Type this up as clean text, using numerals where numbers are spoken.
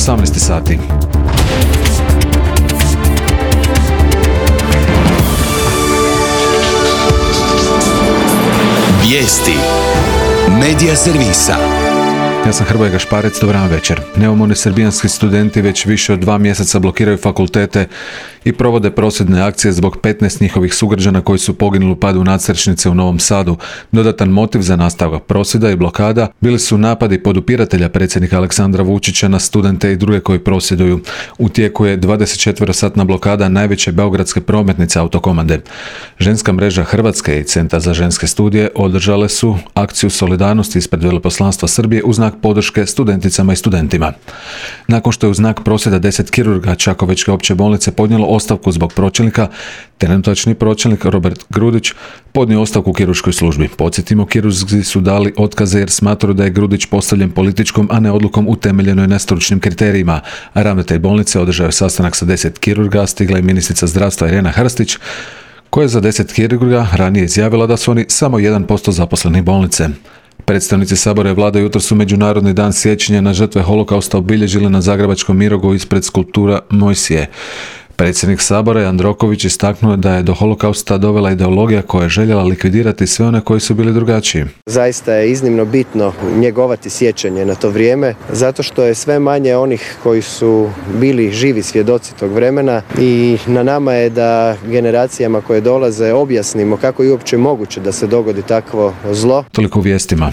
18 sati. Vijesti Medija servisa. Ja sam Hrvoje Gašparec, dobar vam večer. Neumorni srbijanski studenti već više od 2 mjeseca blokiraju fakultete i provode prosvjedne akcije zbog 15 njihovih sugrađana koji su poginuli u padu nadstrešnice u Novom Sadu. Dodatan motiv za nastavak prosvjeda i blokada bili su napadi podupiratelja predsjednika Aleksandra Vučića na studente i druge koji prosvjeduju. U tijeku je 24-satna blokada najveće beogradske prometnice Autokomande. Ženska mreža Hrvatske i Centar za ženske studije održale su akciju solidarnosti ispred Veleposlanstva Srbije u znak podrške studenticama i studentima. Nakon što je u znak prosvjeda 10 kirurga Čakovečke opće bolnice podnijelo ostavku zbog pročelnika, trenutačni pročelnik Robert Grudić podnio ostavku u kirurškoj službi. Podsjetimo, kirurzi su dali otkaze jer smatraju da je Grudić postavljen političkom, a ne odlukom utemeljenoj na stručnim kriterijima. A ravnatelj bolnice održao je sastanak sa 10 kirurga, stigla je ministrica zdravstva Irena Hrstić, koja je za 10 kirurga ranije izjavila da su oni samo 1% zaposlenih bolnice. Predstavnici Sabora i Vlade jutros su Međunarodni dan sjećanja na žrtve holokausta obilježili na zagrebačkom Mirogu ispred skulptura Mojsije. Predsjednik Sabora Jandroković istaknuo da je do holokausta dovela ideologija koja je željela likvidirati sve one koji su bili drugačiji. Zaista je iznimno bitno njegovati sjećanje na to vrijeme, zato što je sve manje onih koji su bili živi svjedoci tog vremena i na nama je da generacijama koje dolaze objasnimo kako je uopće moguće da se dogodi takvo zlo. Toliko u vijestima.